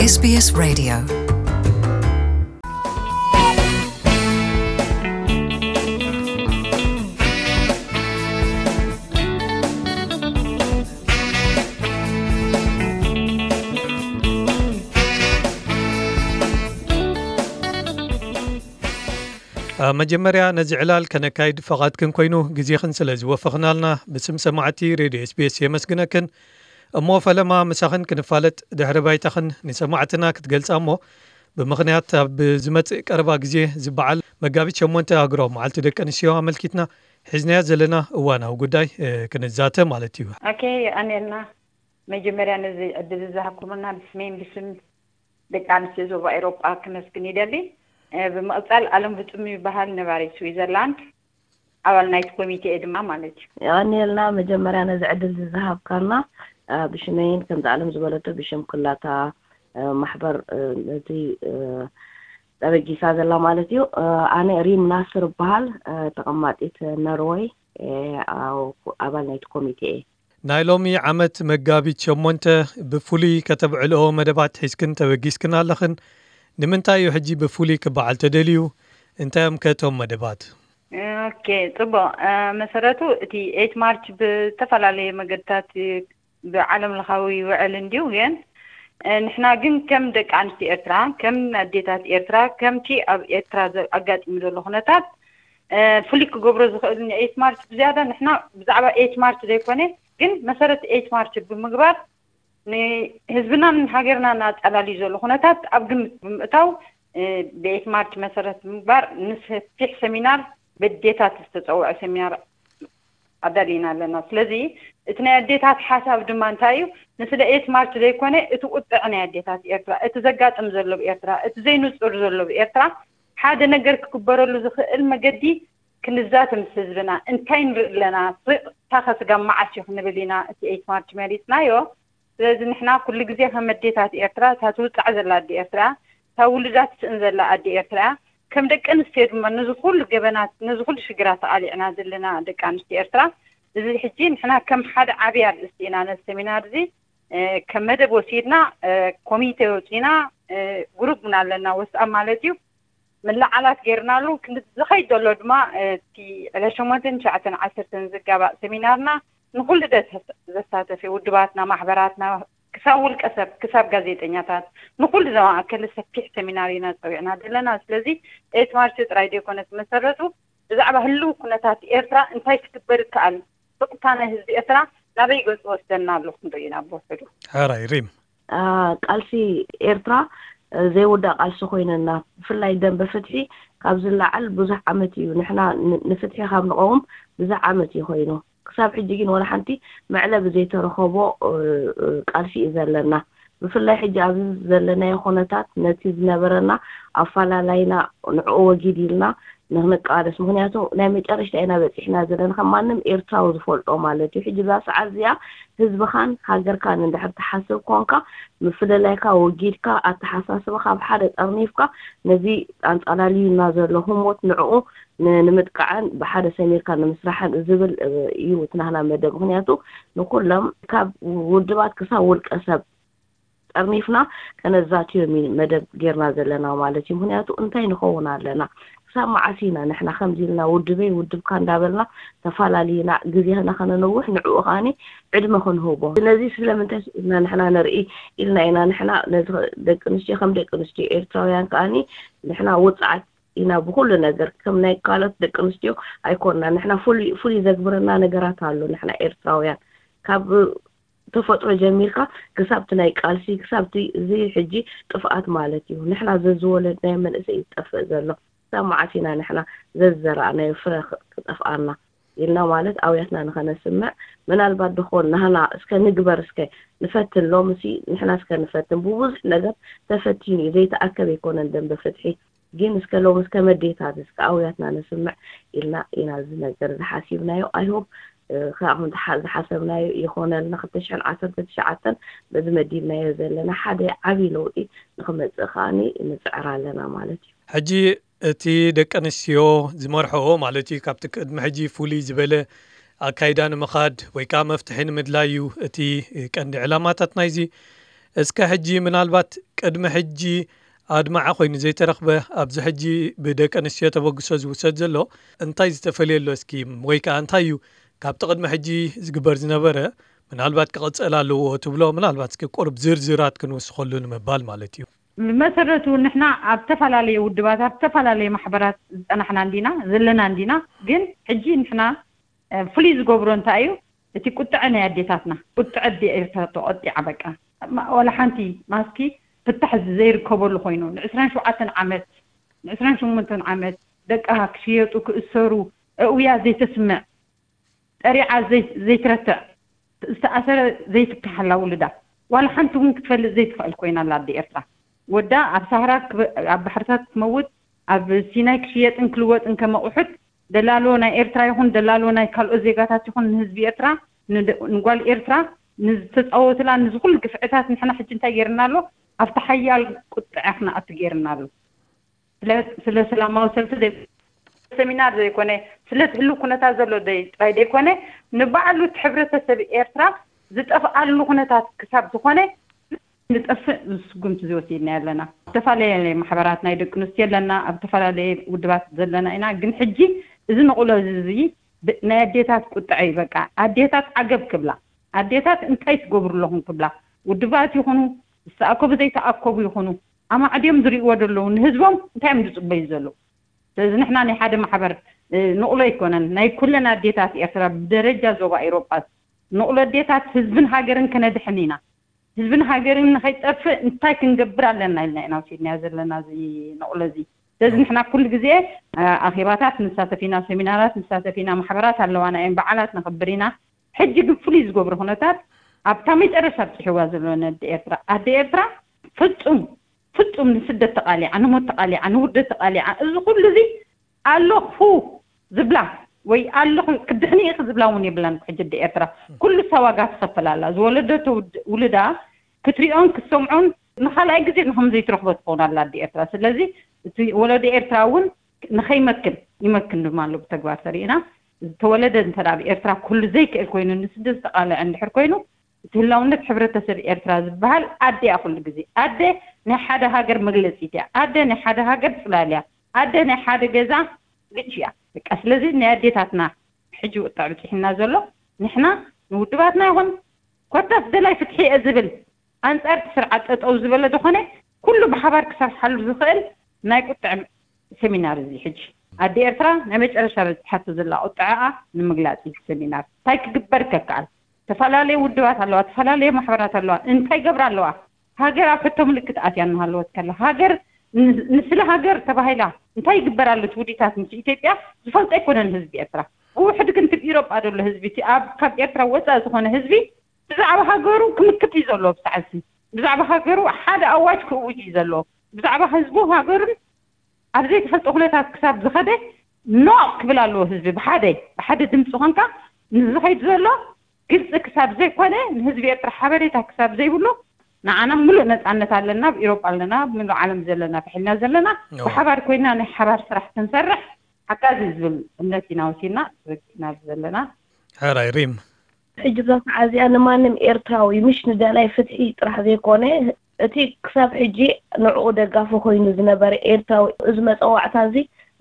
S B S Radio. ኣብ መጀመርያ ነዚ ዕላል ከነካይድ ፈቓድክን ኮይኑ ግዜኽን ስለ ዝወፈኽናልና ብስም ሰማዕቲ ሬድዮ S B S የመስግነክን። እሞ ፈለማ ምሳኽን ክንፋለጥ ድሕሪ ባይታኽን ንሰማዕትና ክትገልጻ እሞ ብምኽንያት ኣብ ዝመጽእ ቀረባ ግዜ ዝበዓል መጋቢት ሸሞንተ ኣህጉራዊ መዓልቲ ደቂ ኣንስትዮ ኣመልኪትና ሒዝናዮ ዘለና እዋናዊ ጉዳይ ክንዛተ ማለት እዩ። ኦኬ ኣንኤልና መጀመርያ ነዚ ዕድል ዝሃብኩምና ብስሜን ብስም ደቂ ኣንስትዮ ዞባ ኤሮጳ ክመስግን ይደሊ። ብምቕጻል ኣለም ብጹም ይበሃል ነባሪ ስዊዘርላንድ ኣባል ናይቲ ኮሚቴ ድማ ማለት እዩ። የቐንየልና መጀመርያ ነዚ ዕድል ዝዝሃብካና ብሽመይን ከምዚ ኣለም ዝበለቶ ብሽም ኩላታ ማሕበር ነዚ ተበጊሳ ዘላ ማለት እዩ። ኣነ ሪም ናስር እበሃል፣ ተቐማጢት ነርወይ፣ ኣባል ናይቲ ኮሚቴ እየ። ናይ ሎሚ ዓመት መጋቢት ሸሞንተ ብፍሉይ ከተብዕልኦ መደባት ሒዝክን ተበጊስክን ኣለኽን። ንምንታይ እዩ ሕጂ ብፍሉይ ክበዓል ተደልዩ? እንታይ እዮም ከ እቶም መደባት? ኦኬ፣ ጽቡቕ። መሰረቱ እቲ ኤት ማርች ብዝተፈላለየ መገድታት ብዓለም ለኻዊ ይውዕል እንድዩ፣ ግን ንሕና ግን ከም ደቂ ኣንስትዮ ኤርትራ፣ ከም ኣዴታት ኤርትራ፣ ከምቲ ኣብ ኤርትራ ኣጋጢሙ ዘሎ ኩነታት ፍሉይ ክገብሮ ዝኽእል ንኤት ማርች ብዝያዳ ንሕና ብዛዕባ ኤት ማርች ዘይኮነ ግን መሰረት ኤት ማርች ብምግባር ንህዝብናን ሃገርናን ኣጸላልዩ ዘሎ ኩነታት ኣብ ግምት ብምእታው ብኤት ማርች መሰረት ብምግባር ንሰፊሕ ሰሚናር በዴታት ዝተጸውዐ ሰሚናር ኣዳሊና ኣለና። ስለዚ እቲ ናይ ኣዴታት ሓሳብ ድማ እንታይ እዩ? ንስለ ኤት ማርች ዘይኮነ እቲ ቁጥዕ ናይ ኣዴታት ኤርትራ፣ እቲ ዘጋጥም ዘሎ ብኤርትራ፣ እቲ ዘይንጹር ዘሎ ብኤርትራ ሓደ ነገር ክግበረሉ ዝኽእል መገዲ ክንዛተ ምስ ህዝብና እንታይ ንርኢ ኣለና? ስቕታ ከስጋብ መዓስ እዩ ክንብል ኢና እቲ ኤት ማርች መሪጽናዮ። ስለዚ ንሕና ኩሉ ግዜ ከም ኣዴታት ኤርትራ እታ ትውጻዕ ዘላ ኣዲ ኤርትራ እያ። እታ ውሉዳ ትስእን ዘላ ኣዲ ኤርትራ እያ። ከም ደቂ ኣንስትዮ ድማ ነዚ ኩሉ ገበናት ነዚ ኩሉ ሽግራት ተቓሊዕና ዘለና ደቂ ኣንስትዮ ኤርትራ እዚ ሕጂ ንሕና ከም ሓደ ዓብይ ኣርእስቲ ኢና ነዚ ሰሚናር እዚ ከም መደብ ወሲድና ኮሚቴ ወፂና ግሩፕ እውን ኣለና ወስኣብ ማለት እዩ ምልዓላት ገይርናሉ ክንዲ ዝኸይድ ዘሎ ድማ እቲ ዕለት ሸሞንተን ትሽዓተን ዓሰርተን ዝጋባእ ሰሚናርና ንኹሉ ዘሳተፈ ውድባትና ማሕበራትና ክሳብ ውልቀ ሰብ ክሳብ ጋዜጠኛታት ንኹሉ ዘማእከለ ሰፊሕ ሰሚናር ኢና ፀዊዕና ዘለና ስለዚ ኤት ማርች ጥራይ ዘይኮነ ዝመሰረቱ ብዛዕባ ህልው ኩነታት ኤርትራ እንታይ ክግበር ይከኣል ብቕታ ናይ ህዝቢ ኤርትራ ናበይ ገፁ ወስደና ኣሎ ክንርኢ ኢና ብውሕዱ ሕራይ ሪም ቃልሲ ኤርትራ ዘይውዳእ ቃልሲ ኮይነና ብፍላይ ደንበ ፍትሒ ካብ ዝለዓል ብዙሕ ዓመት እዩ ንሕና ንፍትሒ ካብ ንቐውም ብዙሕ ዓመት እዩ ኮይኑ ክሳብ ሕጂ ግን ወላ ሓንቲ መዕለቢ ዘይተረኸቦ ቃልሲ እዩ ዘለና ብፍላይ ሕጂ ኣብዚ ዘለናዮ ኩነታት ነቲ ዝነበረና ኣፈላላይና ንዕኡ ወጊድ ኢልና ንክንቃለስ ምክንያቱ ናይ መጨረሽታ ኢና በፂሕና ዘለና ከም ማንም ኤርትራዊ ዝፈልጦ ማለት እዩ ሕጂ እዛ ሰዓት እዚኣ ህዝብኻን ሃገርካን እንድሕር ትሓስብ ኮንካ ምፍልላይካ ወጊድካ ኣተሓሳስባኻ ብሓደ ጠርኒፍካ ነዚ ኣንፃላልዩና ዘሎ ህሞት ንዕኡ ንምጥቃዕን ብሓደ ሰሚርካ ንምስራሕን ዝብል እዩ እቲ ናህና መደብ ምክንያቱ ንኩሎም ካብ ውድባት ክሳብ ውልቀ ሰብ ጠርኒፍና ከነዛትዮም መደብ ጌርና ዘለና ማለት እዩ ምክንያቱ እንታይ ንኸውን ኣለና ክሳብ መዓስ ኢና ንሕና ከምዚ ኢልና ውድበይ ውድብካ እንዳበልና ተፈላለዩና ግዜና ከነነውሕ ንዕኡ ከዓኒ ዕድመ ክንህቦ ነዚ ስለምንታይ ኢልና ንሕና ንርኢ ኢልና ኢና ንሕና ነዚ ደቂ ኣንስትዮ ከም ደቂ ኣንስትዮ ኤርትራውያን ከዓኒ ንሕና ውፅዓት ኢና ብኩሉ ነገር ከም ናይ ካልኦት ደቂ ኣንስትዮ ኣይኮንና ንሕና ፍሉይ ፍሉይ ዘግብረና ነገራት ኣሎ ንሕና ኤርትራውያን ካብ ተፈጥሮ ጀሚርካ ክሳብቲ ናይ ቃልሲ ክሳብቲ እዚ ሕጂ ጥፍኣት ማለት እዩ ንሕና ዘዝወለድናዮ መንእሰይ እዩ ዝጠፍእ ዘሎ ክሳብ መዓስ ኢና ንሕና ዘዝዘራእናዮ ፍረ ክጠፍኣና ኢልና ማለት ኣውያትና ንኸነስምዕ ምናልባት ድኾን ናህና እስከ ንግበር እስከ ንፈትን ሎምሲ ንሕና እስከ ንፈትን ብብዙሕ ነገር ተፈቲኑ እዩ ዘይተኣከብ ኣይኮነን ደንበ ፍትሒ ግን እስከ ሎም እስከ መዴታት እስከ ኣውያትና ንስምዕ ኢልና ኢና እዚ ነገር ዝሓሲብናዮ ኣይሆብ ካብኹም ዝሓሰብናዮ ይኾነልና ክልተ ሽሕን ዓሰርተ ትሽዓተን በዚ መዲብናዮ ዘለና ሓደ ዓብዪ ለውጢ ንክመፅእ ከዓኒ ንፅዕር ኣለና ማለት እዩ ሕጂ እቲ ደቂ ኣንስትዮ ዝመርሐኦ ማለት እዩ ካብቲ ቅድሚ ሕጂ ፍሉይ ዝበለ ኣካይዳ ንምኻድ ወይ ከዓ መፍትሒ ንምድላይ እዩ እቲ ቀንዲ ዕላማታት ናይዚ እስከ ሕጂ ምናልባት ቅድሚ ሕጂ ኣድማዒ ኮይኑ ዘይተረኽበ፣ ኣብዚ ሕጂ ብደቂ ኣንስትዮ ተበግሶ ዝውሰድ ዘሎ እንታይ ዝተፈልየ ኣሎ? እስኪ ወይ ከኣ እንታይ እዩ ካብቲ ቅድሚ ሕጂ ዝግበር ዝነበረ ምናልባት ክቕጸል ኣለዎ ትብሎ? ምናልባት እስኪ ቁሩብ ዝርዝራት ክንውስኸሉ ንምባል ማለት እዩ። ብመሰረቱ ንሕና ኣብ ዝተፈላለየ ውድባት፣ ኣብ ዝተፈላለየ ማሕበራት ዝጸናሕና እንዲና ዘለና እንዲና። ግን ሕጂ ንሕና ፍሉይ ዝገብሮ እንታይ እዩ? እቲ ቁጥዐ ናይ ኣዴታትና፣ ቁጥዐ ኣዴ ኤርትራ ተቆጢዓ። በቃ ዋላ ሓንቲ ማስኪ ፍታሕ ዘይርከበሉ ኮይኑ፣ ን27 ዓመት፣ ን28 ዓመት ደቃ ክሽየጡ ክእሰሩ፣ እውያ ዘይተስምዕ፣ ጠሪዓ ዘይትረትዕ፣ ዝተኣሰረ ዘይትከሓላ ውልዳ ዋላ ሓንቲ እውን ክትፈልጥ ዘይትኽእል ኮይና ኣላ ኣደ ኤርትራ። ወዳ ኣብ ሳህራ ኣብ ባሕርታት ክትመውት፣ ኣብ ሲናይ ክሽየጥን ክልወጥን ከመቑሑት ደላሎ ናይ ኤርትራ ይኹን ደላሎ ናይ ካልኦት ዜጋታት ይኹን ንህዝቢ ኤርትራ፣ ንጓል ኤርትራ ንዝተፃወትላ ንዚ ኩሉ ግፍዕታት ንሕና ሕጂ እንታይ ገይርና ኣሎ? ኣብቲ ሓያል ቁጥዐ ክነኣቱ ገይርና ኣሎ። ስለ ሰላማዊ ሰልፊ፣ ሰሚናር ዘይኮነ፣ ስለ ህሉ ኩነታት ዘሎ ጥራይ ዘይኮነ፣ ንባዕሉ እቲ ሕብረተሰብ ኤርትራ ዝጠፍኣሉ ኩነታት ክሳብ ዝኾነ ንጠፍእ ስጉምቲ ዝወሲድና ኣለና። ዝተፈላለየ ማሕበራት ናይ ደቂ ኣንስትዮ ኣለና፣ ኣብ ዝተፈላለየ ውድባት ዘለና ኢና። ግን ሕጂ እዚ ንቕሎ እዚ ናይ ኣዴታት ቁጥዐ እዩ። በቃ ኣዴታት ዓገብ ክብላ፣ ኣዴታት እንታይ ትገብሩ ኣለኹም ክብላ፣ ውድባት ይኹኑ ዝተኣከቡ ዘይተኣከቡ ይኹኑ ኣማዕድዮም ዝርእዎ ዘለዉ ንህዝቦም እንታይ እዮም ዝፅበዩ ዘለዉ? ስለዚ ንሕና ናይ ሓደ ማሕበር ንቕሎ ኣይኮነን፣ ናይ ኩለን ኣዴታት ኤርትራ ብደረጃ ዞባ ኤሮጳ ንቕሎ ኣዴታት ህዝብን ሃገርን ከነድሕን ኢና። ህዝብን ሃገርን ንኸይጠፍእ እንታይ ክንገብር ኣለና ኢልና ኢና ወሲድናዮ ዘለና እዚ ንቕሎ እዚ። ስለዚ ንሕና ኩሉ ግዜ ኣኼባታት ንሳተፍ ኢና፣ ሰሚናራት ንሳተፍ ኢና፣ ማሕበራት ኣለዋና እየን፣ በዓላት ነኽብር ኢና። ሕጂ ግን ፍሉይ ዝገብሮ ኩነታት ኣብታ መጨረሻ ኣብፅሕዋ ዘሎ ነዲ ኤርትራ ኣደ ኤርትራ ፍጹም ፍጹም ንስደት ተቓሊዓ፣ ንሞት ተቓሊዓ፣ ንውርደት ተቓሊዓ፣ እዚ ኩሉ እዚ ኣለኹ ዝብላ ወይ ኣለኹ ክድሕኒ ኢኺ ዝብላ እውን የብላን። ሕጂ ኣደ ኤርትራ ኩሉ እሳ ዋጋ ትኸፍል ኣላ። ዝወለደቶ ውድ- ውልዳ ክትሪኦን ክትሰምዖን ንኻልኣይ ግዜ ንኸም ዘይትረኽቦ ትኸውን ኣላ ኣደ ኤርትራ። ስለዚ እቲ ወለዶ ኤርትራ እውን ንኸይመክን ይመክን ድማ ኣሎ ብተግባር ተሪእና። ዝተወለደ እንተ ኣብ ኤርትራ ኩሉ ዘይክእል ኮይኑ ንስደት ዝተቓልዐ እንድሕር ኮይኑ እቲ ህላውነት ሕብረተሰብ ኤርትራ ዝበሃል ኣደ እያ። ኩሉ ግዜ ኣደ ናይ ሓደ ሃገር መግለፂት እያ። ኣደ ናይ ሓደ ሃገር ፅላል እያ። ኣደ ናይ ሓደ ገዛ ግጭ እያ። በቃ ስለዚ ናይ ኣዴታትና ሕጂ ወጣ ብፅሒና ዘሎ ንሕና ንውድባትና ይኹን ኮታስ ደላይ ፍትሒ እየ ዝብል ኣንፃር እቲ ስርዓት ጠጠው ዝበለ ዝኾነ ኩሉ ብሓባር ክሰርሓሉ ዝኽእል ናይ ቁጥዕ ሰሚናር እዚ ሕጂ ኣደ ኤርትራ ናይ መጨረሻ በፂሓቶ ዘላ ቁጥዐኣ ንምግላፅ እዩ ሰሚናር። እንታይ ክግበር ከከኣል? ዝተፈላለዩ ውድባት ኣለዋ፣ ዝተፈላለዩ ማሕበራት ኣለዋ። እንታይ ገብራ ኣለዋ? ሃገር ኣብ ሕቶ ምልክት ኣትያ እናሃለወት ከላ ሃገር ን- ንስለ ሃገር ተባሂላ እንታይ ይግበር ኣሎ? እቲ ውዲታት ምስ ኢትዮጵያ ዝፈልጦ ኣይኮነን ህዝቢ ኤርትራ። ብውሕድ ግን እቲ ኢሮጳ ዘሎ ህዝቢ እቲ ኣብ ካብ ኤርትራ ወፃእ ዝኾነ ህዝቢ ብዛዕባ ሃገሩ ክምክት እዩ ዘሎ። ብሳዕዚ ብዛዕባ ሃገሩ ሓደ ኣዋጅ ክእውጅ እዩ ዘሎ። ብዛዕባ ህዝቡ ሃገሩን ኣብ ዘይተፈልጠ ኩነታት ክሳብ ዝኸደ ኖ ክብል ኣለዎ ህዝቢ። ብሓደ ብሓደ ድምፂ ኮንካ ንዝኸይድ ዘሎ ግልፂ ክሳብ ዘይኮነ ንህዝቢ ኤርትራ ሓበሬታ ክሳብ ዘይብሉ ንዓና ምሉእ ነፃነት ኣለና። ኣብ ኢሮጳ ኣለና፣ ኣብ ምሉእ ዓለም ዘለና ብሕልና ዘለና ብሓባር ኮይና ናይ ሓባር ስራሕ ክንሰርሕ ሓጋዚ ዝብል እምነት ኢና ወሲድና ኢና ዘለና። ሕራይ ሪም። ሕጂ ብዛ ሰዓት እዚኣ ንማንም ኤርትራዊ ምሽ ንደላይ ፍትሒ ጥራሕ ዘይኮነ እቲ ክሳብ ሕጂ ንዕኡ ደጋፊ ኮይኑ ዝነበረ ኤርትራዊ እዚ መፀዋዕታ እዚ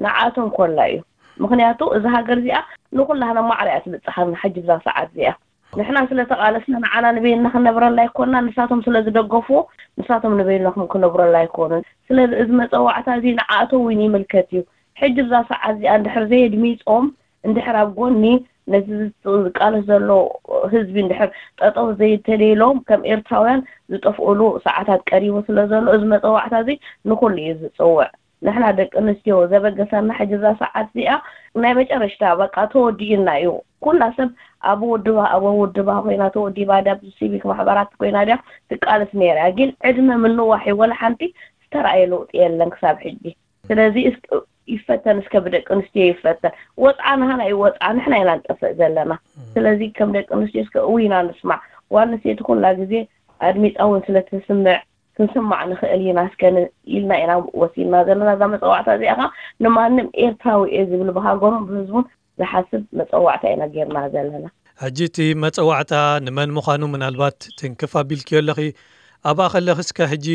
ንዓቶም ኮላ እዩ። ምክንያቱ እዚ ሃገር እዚኣ ንኩላህና ማዕረ እያ ትብፅሓና። ሕጂ ብዛ ሰዓት እዚኣ ንሕና ስለ ተቃለስና ንዓና ንበይንና ክንነብረላ ኣይኮና፣ ንሳቶም ስለ ዝደገፍዎ ንሳቶም ንበይኖም ክነብረላ ኣይኮኑን። ስለዚ እዚ መፀዋዕታ እዚ ንዓቶም እውን ይምልከት እዩ። ሕጂ ብዛ ሰዓት እዚኣ እንድሕር ዘየድሚፆም እንድሕር ኣብ ጎኒ ነቲ ዝቃለስ ዘሎ ህዝቢ እንድሕር ጠጠው ዘይተደሎም ከም ኤርትራውያን ዝጠፍኡሉ ሰዓታት ቀሪቡ ስለ ዘሎ እዚ መፀዋዕታ እዚ ንኩሉ እዩ ዝፅውዕ። ንሕና ደቂ ኣንስትዮ ዘበገሳና ሕጂ እዛ ሰዓት እዚኣ ናይ መጨረሽታ በቃ ተወዲኡና እዩ። ኩላ ሰብ ኣብ ውድባ ኣብ ውድባ ኮይና ተወዲባ ድያ ሲቪክ ማሕበራት ኮይና ድያ ትቃለስ ነይራ እያ። ግን ዕድመ ምንዋሕ እዩ። ወላ ሓንቲ ዝተረኣየ ለውጢ የለን ክሳብ ሕጂ። ስለዚ ይፈተን እስከ ብደቂ ኣንስትዮ ይፈተን። ወፅዓ ናህና እዩ ወፅዓ ንሕና ኢና ንጠፍእ ዘለና። ስለዚ ከም ደቂ ኣንስትዮ እስከ እውይና ንስማዕ። ጓል ኣንስተይቲ ኩላ ግዜ ኣድሚፃ እውን ስለትስምዕ ክንስማዕ ንኽእል ኢና እስከ ኢልና ኢና ወሲድና ዘለና እዛ መፀዋዕታ እዚኣ ኸ ንማንም ኤርትራዊ እየ ዝብል ብሃገሩን ብህዝቡን ዝሓስብ መፀዋዕታ ኢና ጌርና ዘለና። ሕጂ እቲ መፀዋዕታ ንመን ምዃኑ ምናልባት ትንክፍ ኣቢልክዮ ኣለኺ። ኣብኣ ከለኺ እስከ ሕጂ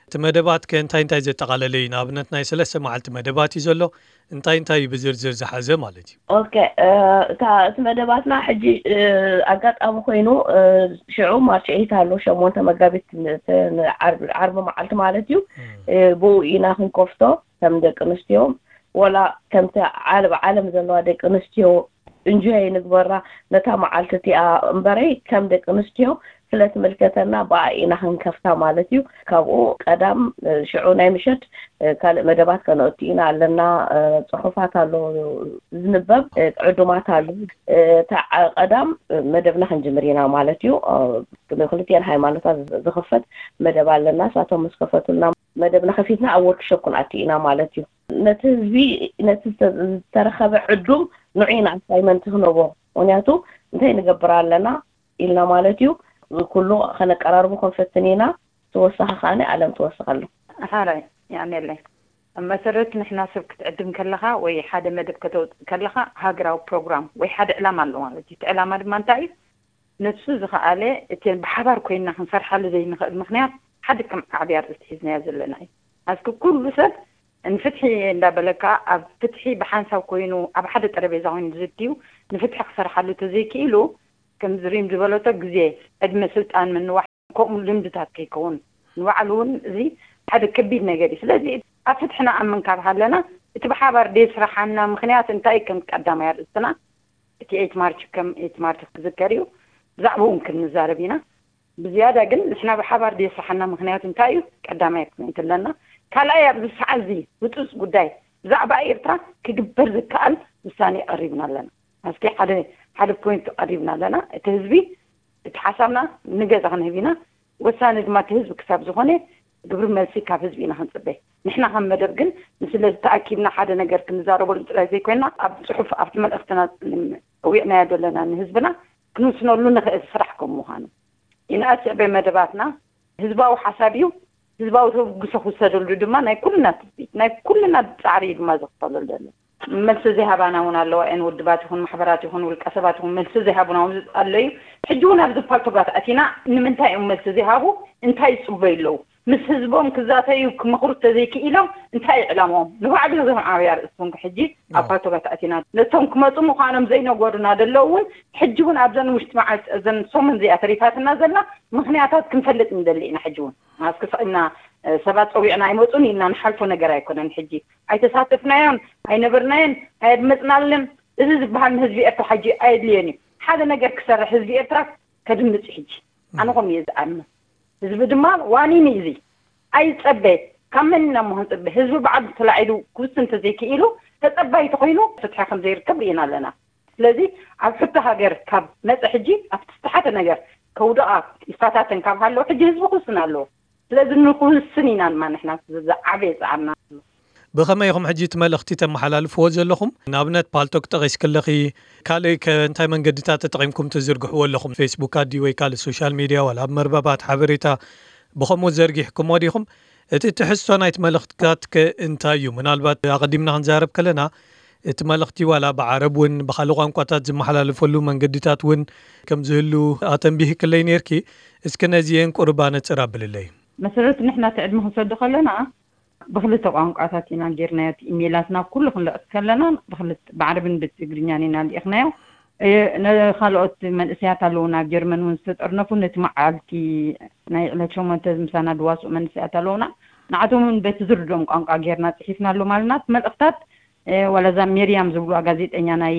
እቲ መደባት ከ እንታይ እንታይ ዘጠቓለለ እዩ? ንኣብነት ናይ ሰለስተ መዓልቲ መደባት እዩ ዘሎ። እንታይ እንታይ እዩ ብዝርዝር ዝሓዘ ማለት እዩ? ኦኬ፣ እ፣ እታ፣ እቲ መደባትና ሕጂ፣ እ፣ ኣጋጣሚ ኮይኑ፣ እ፣ ሽዑ ማርች ኤይት ኣሎ፣ ሸሞንተ መጋቢት፣ ን-፣ ን-፣ ዓርቢ፣ ዓርቢ መዓልቲ ማለት እዩ። እ፣ ብኡ ኢና ክንከፍቶ ከም ደቂ ኣንስትዮ፣ ወላ ከምቲ ዓለ-፣ ዓለም ዘለዋ ደቂ ኣንስትዮ እንጆይ ንግበራ ነታ መዓልቲ እቲኣ እምበረይ፣ ከም ደቂ ኣንስትዮ ስለ ትምልከተና ብኣ ኢና ክንከፍታ ማለት እዩ። ካብኡ ቀዳም፣ እ፣ ሽዑ ናይ ምሸት፣ እ፣ ካልእ መደባት ከነእቱ ኢና ኣለና። እ፣ ጽሑፋት ኣሎ ዝንበብ፣ እ፣ ዕዱማት ኣሎ። እ፣ እታ ዓ-፣ ቀዳም፣ እ፣ መደብና ክንጅምር ኢና ማለት እዩ። እ፣ ንክልቲኤን ሃይማኖታት ዝ-፣ ዝኽፈት መደብ ኣለና። እሳቶም ምስ ከፈቱልና መደብና ከፊትና ኣብ ወርክሾፕ ክንኣቱ ኢና ማለት እዩ። ነቲ ህዝቢ፣ ነቲ ዝተ-፣ ዝተረኸበ ዕዱም ንዑ ኢና ኣሳይመንት ክንቦ። ምክንያቱ እንታይ ንገብር ኣለና ኢልና ማለት እዩ። ኩሉ ከነቀራርቦ ክንፈትን ኢና። ተወሳኺ ከኣ ኣለም ተወስኸሉ። ሓራይ፣ የቐንየለይ። ኣብ መሰረት ንሕና ሰብ ክትዕድም ከለኻ ወይ ሓደ መደብ ከተውፅእ ከለኻ ሃገራዊ ፕሮግራም ወይ ሓደ ዕላማ ኣሎ ማለት እዩ። እቲ ዕላማ ድማ እንታይ እዩ? ነሱ ዝኸኣለ እቲ ብሓባር ኮይንና ክንሰርሓሉ ዘይንኽእል ምኽንያት ሓደ ከም ዓብዪ ኣርእስቲ ሒዝናዮ ዘለና እዩ። ኣስኪ ኩሉ ሰብ ንፍትሒ እንዳበለካ ኣብ ፍትሒ ብሓንሳብ ኮይኑ ኣብ ሓደ ጠረጴዛ ኮይኑ ዝድዩ ንፍትሒ ክሰርሓሉ ተዘይክኢሉ ከምዚ ሪም ዝበለቶ ግዜ፣ ዕድመ፣ ስልጣን ምንዋሕ ከምኡ ልምድታት ከይከውን ንባዕሉ እውን እዚ ሓደ ከቢድ ነገር እዩ። ስለዚ ኣብ ፍትሒ ንኣምን ካብ ሃለና እቲ ብሓባር ደየስርሓና ምኽንያት እንታይ ከም ቀዳማይ ኣርእስትና እቲ ኤይት ማርች ከም ኤይት ማርች ክዝከር እዩ። ብዛዕባኡ እውን ክንዛረብ ኢና። ብዝያዳ ግን ንሕና ብሓባር ደየስርሓና ምኽንያት እንታይ እዩ ቀዳማይ ፖይንት ኣለና። ካልኣይ ኣብዚ ሰዓት እዚ ህፁፅ ጉዳይ ብዛዕባ ኤርትራ ክግበር ዝከኣል ውሳኔ ቀሪብና ኣለና። ኣስኪ ሓደ ሓደ ፖይንት ቀሪብና ኣለና። እቲ ህዝቢ እቲ ሓሳብና ንገዛ ክንህብ ኢና። ወሳኒ ድማ እቲ ህዝቢ ክሳብ ዝኾነ ግብሪ መልሲ ካብ ህዝቢ ኢና ክንፅበ። ንሕና ከም መደብ ግን ንስለ ዝተኣኪብና ሓደ ነገር ክንዛረበሉ ጥራይ ዘይኮይና ኣብ ፅሑፍ ኣብቲ መልእኽትና ፀዊዕናዮ ዘለና ንህዝብና ክንውስነሉ ንኽእል ስራሕ ከም ምዃኑ ኢና። ስዕበ መደባትና ህዝባዊ ሓሳብ እዩ። ህዝባዊ ተብግሶ ክውሰደሉ ድማ ናይ ኩልና ትፅቢት ናይ ኩልና ፃዕሪ እዩ ድማ ዝኽፈለሉ ዘሎ። መልሲ ዘይሃባና እውን ኣለዋ እየን። ውድባት ይኹን ማሕበራት ይኹን ውልቀ ሰባት ይኹን መልሲ ዘይሃቡና እውን ኣለዩ። ሕጂ እውን ኣብዚ ፓልቶጋት ኣቲና ንምንታይ እዮም መልሲ ዘይሃቡ? እንታይ ይፅበዩ ኣለዉ? ምስ ህዝቦም ክዛተዩ ክመኽሩ ተዘይክኢሎም እንታይ እዩ ዕላምኦም? ንባዕሉ እዞም ዓብያ ርእስቶም ሕጂ ኣብ ፓልቶጋት ኣቲና ነቶም ክመፁ ምዃኖም ዘይነገሩና ዘለዉ እውን ሕጂ እውን ኣብዘን ውሽጢ መዓልቲ እዘን ሰሙን እዚኣ ተሪፋትና ዘላ ምኽንያታት ክንፈልጥ ንደሊ ኢና። ሕጂ እውን ኣስክስዕና ሰባት ፀዊዕና ኣይመፁን ኢልና ንሓልፎ ነገር ኣይኮነን። ሕጂ ኣይተሳተፍናዮን ኣይነበርናዮን ኣየድመፅናልን። እዚ ዝበሃል ንህዝቢ ኤርትራ ሕጂ ኣየድልዮን እዩ። ሓደ ነገር ክሰርሕ ህዝቢ ኤርትራ ከድምፅ ሕጂ ኣነ ከም እየ ዝኣምን። ህዝቢ ድማ ዋኒን እዩ። እዚ ኣይፀበ ካብ መን ኢና እሞ ክንፅበ? ህዝቢ በዓሉ ተላዒሉ ክውስን እንተዘይክኢሉ ተፀባይ ተኮይኑ ፍትሒ ከም ዘይርከብ ርኢና ኣለና። ስለዚ ኣብ ሕቶ ሃገር ካብ መፀ ሕጂ ኣብቲ ዝተሓተ ነገር ከውደቓ ይፈታተን ካብ ሃለዉ ሕጂ ህዝቢ ክውስን ኣለዎ። ስለዚ ንክውስን ኢና ድማ ንሕና ዝዓበየ ፃዕርና። ብኸመይ ኢኹም ሕጂ እቲ መልእኽቲ ተመሓላልፍዎ ዘለኹም? ንኣብነት ፓልቶክ ጠቒስኪ ኣለኺ፣ ካልእ ከ እንታይ መንገድታት ተጠቒምኩም ትዝርግሕዎ ኣለኹም? ፌስቡክ ኣዲ ወይ ካልእ ሶሻል ሚድያ ዋላ ኣብ መርበባት ሓበሬታ ብኸምኡ ዘርጊሕኩሞ ዲኹም? እቲ ትሕዝቶ ናይቲ መልእኽትታት ከ እንታይ እዩ? ምናልባት ኣቐዲምና ክንዛረብ ከለና እቲ መልእኽቲ ዋላ ብዓረብ እውን ብኻልእ ቋንቋታት ዝመሓላለፈሉ መንገድታት እውን ከም ዝህሉ ኣተንቢህክለይ ነይርኪ። እስኪ ነዚኤን ቁሩብ ኣነፅር ኣብልለይ። መሰረት ንሕና እቲ ዕድመ ክንሰዶ ከለና ብክልተ ቋንቋታት ኢና ጌርናዮ። እቲ ኢሜይላትና ኩሉ ክንልእኽ ከለና ብክልተ ብዓረብን ብትግርኛን ኢና ልኢኽናዮ። እ፣ ንኻልኦት መንእሰያት ኣለዉ ናብ ጀርመን እውን ዝተጠርነፉ ነቲ መዓልቲ ናይ ዕለት ሸሞንተ ምሳና ድዋስኡ መንእሰያት ኣለዉና። ንዓቶም እውን በቲ ዝርድኦም ቋንቋ ጌርና ፅሒፍናሎም ኣለና። እቲ መልእኽታት እ፣ ዋላ እዛ ሜርያም ዝብልዋ ጋዜጠኛ ናይ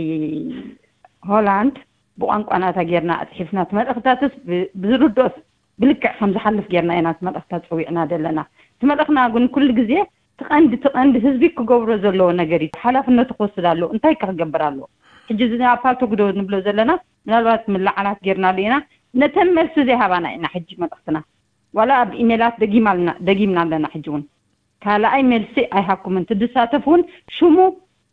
ሆላንድ ብቋንቋ ናታ ጌርና ኣፅሒፍና እቲ መልእኽታትስ ብ-፣ ብዝርድኦስ ብልክዕ ከም ዝሓልፍ ጌርና ኢና እቲ መልእኽታ ፀዊዕና ዘለና። እቲ መልእኽና ግን ኩሉ ግዜ እቲ ቀንዲ እቲ ቀንዲ ህዝቢ ክገብሮ ዘለዎ ነገር እዩ። ሓላፍነቱ ክወስድ ኣለዎ። እንታይ ከ ክገብር ኣለዎ? ሕጂ እዚ ኣብ ፓልቶክ ዶ ንብሎ ዘለና ምናልባት ምልዓላት ጌርናሉ ኢና። ነተን መልሲ ዘይሃባና ኢና ሕጂ መልእኽትና ዋላ ኣብ ኢሜላት ደጊማልና ደጊምና ኣለና። ሕጂ እውን ካልኣይ መልሲ ኣይሃብኩምን። ትድሳተፍ እውን ሽሙ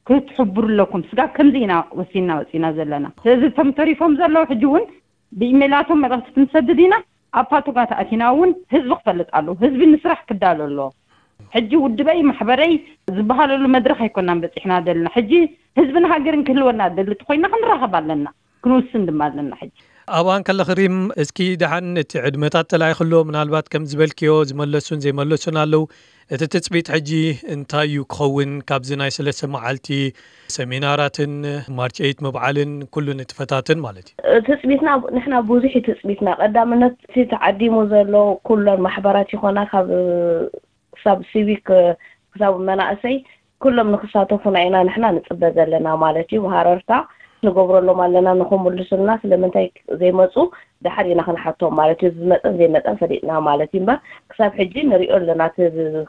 ክትሕብሩ ኣለኩም። ስጋብ ከምዚ ኢና ወሲና ወፂና ዘለና። ስለዚ እቶም ተሪፎም ዘለዉ ሕጂ እውን ብኢሜላቶም መልእኽቲ ክንሰድድ ኢና። ኣብ ፓልቶጋት ኣቲና እውን ህዝቢ ክፈልጥ ኣለዎ። ህዝቢ ንስራሕ ክዳሎ ኣለዎ። ሕጂ ውድበይ ማሕበረይ ዝበሃለሉ መድረኽ ኣይኮናን በፂሕና ዘለና። ሕጂ ህዝብን ሃገርን ክህልወና ደሊ ተኮይና ክንራኸብ ኣለና፣ ክንውስን ድማ ኣለና። ሕጂ ኣብኣን ከለኺ ሪም፣ እስኪ ደሓን እቲ ዕድመታት ተላኢኽሎ፣ ምናልባት ከም ዝበልክዮ ዝመለሱን ዘይመለሱን ኣለዉ። እቲ ትጽቢት ሕጂ እንታይ እዩ ክኸውን ካብዚ ናይ ሰለስተ መዓልቲ ሰሚናራትን ማርች ኤይት ምብዓልን ኩሉ ንጥፈታትን ማለት እዩ? ትጽቢትና፣ ንሕና ብዙሕ እዩ ትጽቢትና። ቀዳምነት እቲ ተዓዲሙ ዘሎ ኩለን ማሕበራት ይኾና ካብ ክሳብ ሲቪክ ክሳብ መናእሰይ ኩሎም ንክሳተፉና ኢና ንሕና ንጽበ ዘለና ማለት እዩ። ብሃረርታ ንገብረሎም ኣለና ንኽምልሱልና፣ ስለምንታይ ዘይመጹ ድሓር ኢና ክንሓቶም ማለት እዩ። ዝመጸን ዘይመጸን ፈሊጥና ማለት እዩ። እምበር ክሳብ ሕጂ ንሪኦ ኣለና። እቲ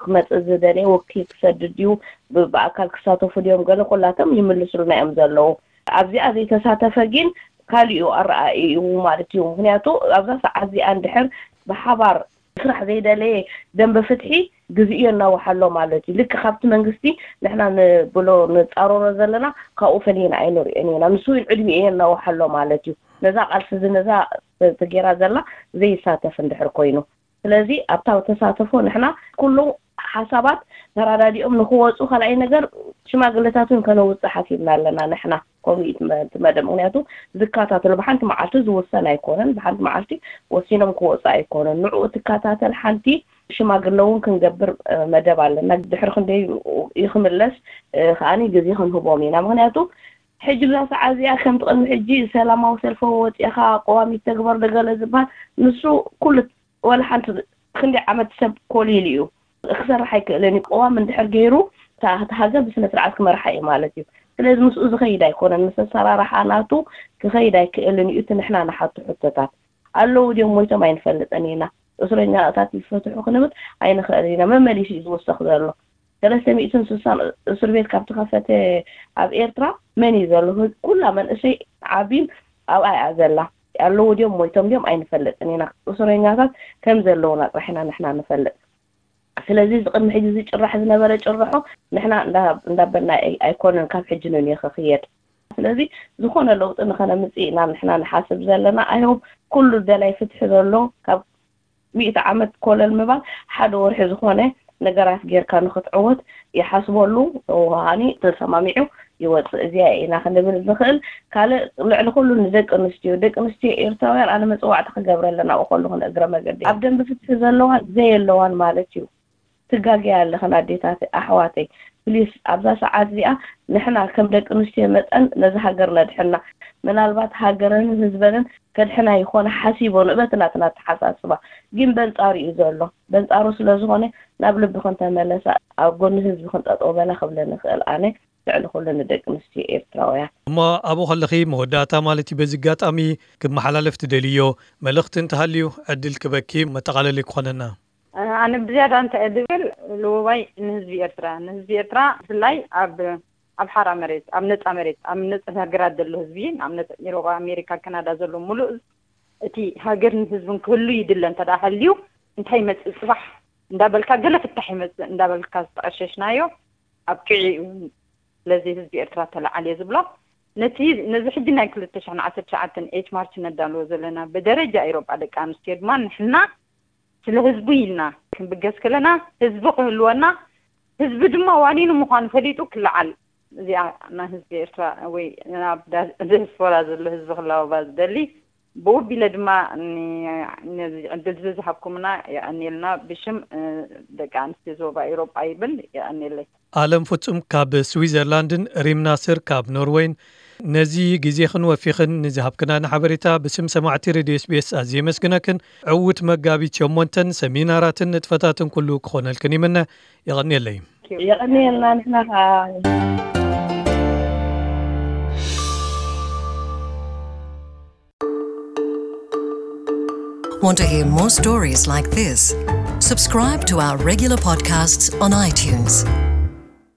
ክመጽእ ዝደለየ ወኪል ክሰድድ ድዩ፣ ብ-፣ ብኣካል ክሳተፉ ድዮም፣ ገለ ኩላቶም ይምልሱልና እዮም ዘለዉ። ኣብዚኣ ዘይተሳተፈ ግን ካሊኡ ኣረኣእዩ ማለት እዩ። ምክንያቱ ኣብዛ ሰዓት እዚኣ እንድሕር ብሓባር ክስራሕ ዘይደለየ ደንበ ፍትሒ ግዜኡ የናውሓሎ ማለት እዩ። ልክዕ ካብቲ መንግስቲ ንሕና ንብሎ ንጻረሮ ዘለና ካብኡ ፈሊና ኣይንሪኦን ኢና። ንሱ እውን ዕድሚኡ የናውሓሎ ማለት እዩ። ነዛ ቃልሲ እዚ ነዛ ተገይራ ዘላ ዘይሳተፍ እንድሕር ኮይኑ፣ ስለዚ ኣብታ ተሳተፎ ንሕና ኩሉ ሓሳባት ተራዳዲኦም ንክወፁ፣ ካልኣይ ነገር ሽማግለታት እውን ከነውፅእ ሓሲብና ኣለና ንሕና ኮሚት መ-፣ እቲ መደብ። ምክንያቱ ዝከታተሉ ብሓንቲ መዓልቲ ዝውሰን ኣይኮነን፣ ብሓንቲ መዓልቲ ወሲኖም ክወፁ ኣይኮነን። ንዕኡ ትከታተል ሓንቲ ሽማግለ እውን ክንገብር፣ እ፣ መደብ ኣለና። ድሕሪ ክንደይ እዩ ክምለስ፣ እ፣ ከዓኒ ግዜ ክንህቦም ኢና። ምክንያቱ ሕጂ ብዛ ሰዓት እዚኣ ከምቲ ቅድሚ ሕጂ ሰላማዊ ሰልፊ ወፂእኻ ቅዋም ይተግበር ደገለ ዝበሃል፣ ንሱ ኩሉ ወላ ሓንቲ ክንደይ ዓመት ሰብ ኮሊሉ እዩ። ክሰርሕ ኣይክእልን እዩ። ቅዋም እንድሕር ገይሩ እታ፣ እታ ሃገር ብስነ ስርዓት ክመርሓ እዩ ማለት እዩ። ስለዚ ምስኡ ዝኸይድ ኣይኮነን። ምስ ኣሰራርሓ ናቱ ክኸይድ ኣይክእልን እዩ። እቲ ንሕና ንሓቱ ሕቶታት ኣለዉ ድዮም ሞይቶም ኣይንፈልጥን ኢና። እስረኛታት ይፈትሑ ክንብል ኣይንኽእልን ኢና። መመሊሱ እዩ ዝውሰኽ ዘሎ። ሰለስተ ሚእትን ስሳን እስር ቤት ካብ ተኸፈተ ኣብ ኤርትራ መን እዩ ዘሎ? ኩላ መንእሰይ ዓቢን ኣብኣ እያ ዘላ። ኣለዉ ድዮም ሞይቶም ድዮም ኣይንፈልጥን ኢና። እስረኛታት ከም ዘለዉና ጥራሕ ኢና ንሕና ንፈልጥ። ስለዚ እዚ ቅድሚ ሕጂ ዝጭራሕ ዝነበረ ጭርሖ ንሕና እንዳ-፣ እንዳበልና ኣይ-፣ ኣይኮነን ካብ ሕጂ ንንዮ ክኽየድ። ስለዚ ዝኾነ ለውጢ ንኸነምጽእ ኢና ንሕና ንሓስብ ዘለና። ኣይሆፕ ኩሉ ደላይ ፍትሒ ዘሎ ካብ ሚእቲ ዓመት ኮለል ምባል ሓደ ወርሒ ዝኾነ ነገራት ጌርካ ንኽትዕወት ይሓስበሉ፣ ወሃኒ ተሰማሚዑ ይወጽእ። እዚኣ ኢና ክንብል ንኽእል። ካልእ ልዕሊ ኩሉ ንደቂ ኣንስትዮ፣ ደቂ ኣንስትዮ ኤርትራውያን ኣነ መጽዋዕቲ ክገብረለን ኣብኡ ከለኹ ንእግረ መገዲ ኣብ ደንቢ ፍትሒ ዘለዋን ዘየለዋን ማለት እዩ። ትጋገያ ኣለኽን ኣዴታት ኣሕዋተይ፣ ፕሊስ ኣብዛ ሰዓት እዚኣ ንሕና ከም ደቂ ኣንስትዮ መጠን ነዚ ሃገር ነድሕና። ምናልባት ሃገረንን ህዝበንን ከድሕና ይኾነ ሓሲቦ ንእበት ናትና ኣተሓሳስባ ግን በንጻሩ እዩ ዘሎ። በንጻሩ ስለ ዝኾነ ናብ ልቢ ክንተመለሳ ኣብ ጎኒ ህዝቢ ክንጠጠው በላ ክብለ ንኽእል ኣነ ልዕሊ ኩሉ ንደቂ ኣንስትዮ ኤርትራውያን። እሞ ኣብኡ ከለኺ መወዳእታ ማለት እዩ በዚ ኣጋጣሚ ክመሓላለፍ ትደልዮ መልእኽቲ እንተሃልዩ ዕድል ክበኪ መጠቓለሊ ክኾነና። ኣነ ብዝያዳ እንታይ እየ ዝብል ልውዋይ ንህዝቢ ኤርትራ፣ ንህዝቢ ኤርትራ ብፍላይ ኣብ፣ ኣብ ሓራ መሬት፣ ኣብ ነጻ መሬት፣ ኣብ ነጻ ሃገራት ዘሎ ህዝቢ፣ ኣብ ነጻ ኤሮጳ፣ ኣሜሪካ፣ ካናዳ ዘሎ ሙሉእ እቲ ሃገርን ህዝብን ክህሉ ይድለ እንተ ደኣ ሃልዩ እንታይ ይመጽእ ጽባሕ እንዳበልካ ገለ ፍታሕ ይመጽእ እንዳበልካ ዝተቐሸሽናዮ ኣብ ጥዒኡ ስለዚ ህዝቢ ኤርትራ ተለዓል እየ ዝብሎ። ነቲ፣ ነዚ ሕጂ ናይ ክልተ ሽሕን ዓሰርተ ትሽዓተን ኤይት ማርች ነዳልዎ ዘለና ብደረጃ ኤሮጳ ደቂ ኣንስትዮ ድማ ንሕና ስለ ህዝቡ ኢልና ክንብገስ ከለና ህዝቢ ክህልወና ህዝቢ ድማ ዋኒኑ ምዃኑ ፈሊጡ ክለዓል እዚኣ ናይ ህዝቢ ኤርትራ ወይ ናብ ዳ-፣ ዲያስፖራ ዘሎ ህዝቢ ክላወባ ዝደሊ ብኡ ኣቢለ ድማ ን-፣ ነዚ ዕድል እዚ ዝሃብኩምና የቐንየልና ብሽም፣ እ፣ ደቂ ኣንስትዮ ዞባ ኤውሮጳ ይብል። የቐንየለይ። ኣለም ፍጹም ካብ ስዊዘርላንድን ሪም ናስር ካብ ኖርወይን ነዚ ግዜኽን ወፊኽን ንዝሃብክናና ሓበሬታ ብስም ሰማዕቲ ሬድዮ ኤስ ቢ ኤስ ኣዝየ የመስግነክን። ዕዉት መጋቢት ሸሞንተን ሰሚናራትን ንጥፈታትን ኩሉ ክኾነልክን ይምነ። የቐንየለይ። የቐንየልና ንሕና ኸዓ። Want to hear more stories like this? Subscribe to our regular podcasts on iTunes.